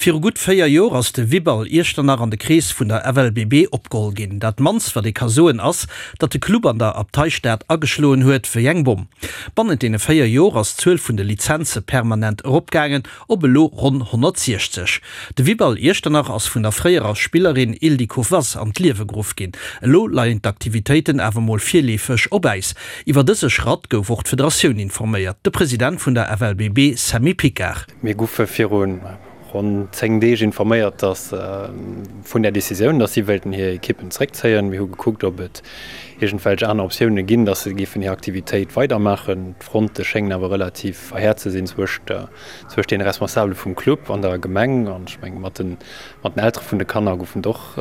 Viru gutt 4 Joer ass de Vibal Iechternach an de Krees vun der FLBB opgeholl ginn. Dat mannst wat ee ka soen ass, datt de Club an der Abteistad ageschloen huet wéi eng Bomm. Bannent deene 4 Joer ass d'Zuel vun de Lizenze permanent eropgaangen op elo ronn 160. De Vibal Iechternach ass vun der fréierer Spillerin Ildiko Wass an d'Liewe geruff ginn. Elo leien d'Aktivitéiten awer mol virleefeg op Äis. Iwwer dëse Schratt gouf och d'Federatioun informéiert. De President vun der FLBB Sammy Picard. Mir goufe viru ronn 10 Deeg informéiert, dass vun där Decisioun, dass si wéilten hir Ekippen zeréckzéien. Mir hu gekuckt, ob et iergendwelch aner Optioune ginn, dass se géifen hir Aktivitéit weidermaachen. D'Fronte schéngen awer relativ verhäert ze sinn zwëscht deene Responsabele vum Club an der Gemeng. An ech menge mat den Eltere vun de Kanner goufen et och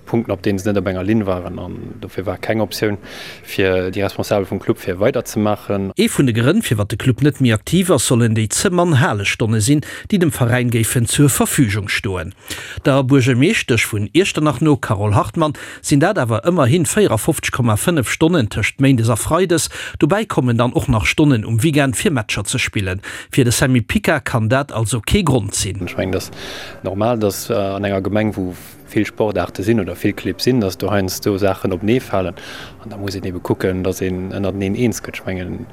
Punkten, op deene se net op enger Linn waren. An dofir war keng Optioun fir déi Responsabel vum Club fir weiderzemaachen. Ee vun de Grënn, firwat de Club net méi aktiv ass, sollen déi ze mann Halestonne sinn, déi dem Veräin géifen zur Verfügung stoen. Der Buergermeeschtesch vun Iechternach no, Carole Hartmann, sinn dat awer ëmmerhi 54,5 Stonnen tëscht méindes a freides. Dobäi kommen dann och nach Stonnen um Weekend fir Matcher ze spillen. Fir de Sammy Pica kann dat also kee Grond sinn. Ech mengen, et ass normal, datt an enger Gemeng, wou vill Sportaarte sinn oder vill Clibb sinn, datt do heiansdo Saachen openee falen an da muss een ebe kucken, datt een ënnerteneen eens gëtt. Ech mengen,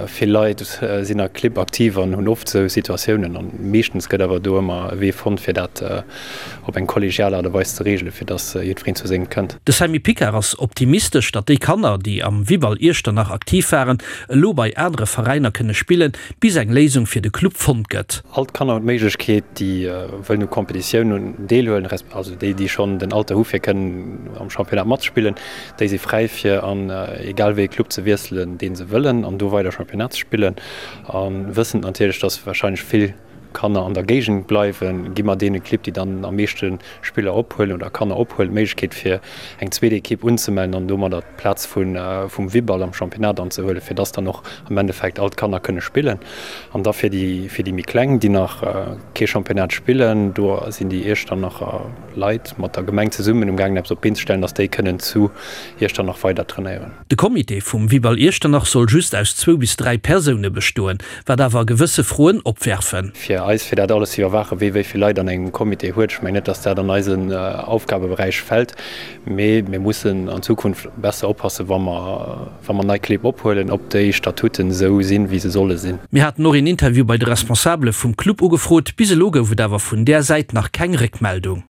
vill Leit sinn a Clibb aktiv an hunn oft esou Situatiounen an meeschtens gëtt awer do ëmmer e Wee fonnt, fir dat op eng kollegial Aart a Weis ze reegelen, fir datt jiddwereen zu sengem kënnt. De Sammy Picard ass optimistesch, datt déi Kanner, déi am Vibal Iechternach aktiv waren, elo bei anere Veräiner kënne spillen, bis eng Léisung fir de Club fonnt gëtt. All d'Kanner hunn d'Méiglechkeet, déi wëllen u Competitiounen deelhuelen, resp. Also déi, déi schonn den Alter hu fir kënnen am Championnat matzespillen, déi si fräi fir an egal wéi ee Club ze wiesselen, dee se wëllen an do weider Championnat ze spillen. A wëssend natierlech, dass warscheinlech vill Kanner an der Géigend bleiwen, gi mer deene Clibb, déi dann am meeschte Spiller ophuelen oder Kanner ophuelen, d'Méiglechkeet fir eng zweet Ekipp unzemellen an domadder d'Plaz vum Vibal am Championnat anzehuelen, fir dass dann och am Endeffekt all d'Kanner kënne spillen. An da fir déi fir déi méi Kleng, déi nach kee Championnat spillen, do sinn déi Iechternacher Leit mat der Gemeng zesummen um gaangen eppes op d'Been ze stellen, dass déi kënnen zu Iechternach weider trainéieren. De Comité vum Vibal Iechternach soll just aus zwou bis 3 Persoune bestoen, wat awer gewësse Froen opwerfen. Fir eis, fir dat alles ze iwwerwaachen, wee wéi vill Leit an engem Comité huet, ech mengen net, dass dat an eisen Aufgabeberäich fält, mee mir mussen an Zukunft besser oppassen, wa mer, wa mer nei Clibb ophuelen, ob déi Statuten esou sinn, wéi se solle sinn. Mir haten och een Interview bei de Responsabele vum Club ugefrot, bis elo gouf et awer vun där Säit nach keng Réckmeldung.